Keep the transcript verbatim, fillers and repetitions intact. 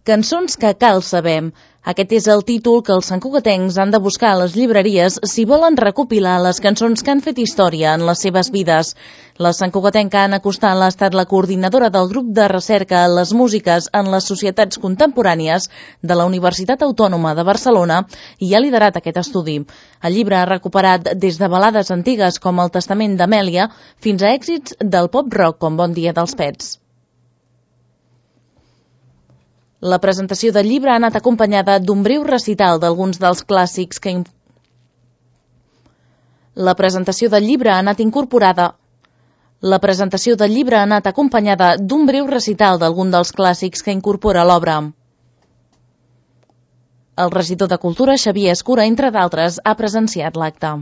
Cançons que cal saber. Aquest és el títol que els santcugatencs han de buscar a les llibreries si volen recopilar les cançons que han fet història en les seves vides. La santcugatenca Anna Costal ha estat la coordinadora del grup de recerca Les músiques en les societats contemporànies de la Universitat Autònoma de Barcelona i ha liderat aquest estudi. El llibre ha recuperat des de balades antigues com El testament d'Amèlia fins a èxits del pop-rock com Bon dia dels Pets. La presentació del llibre ha anat acompanyada d'un breu recital d'alguns dels clàssics que... La presentació del llibre ha anat incorporada... La presentació del llibre ha anat acompanyada d'un breu recital d'algun dels clàssics que incorpora l'obra. El regidor de Cultura, Xavier Escura, entre d'altres, ha presenciat l'acte.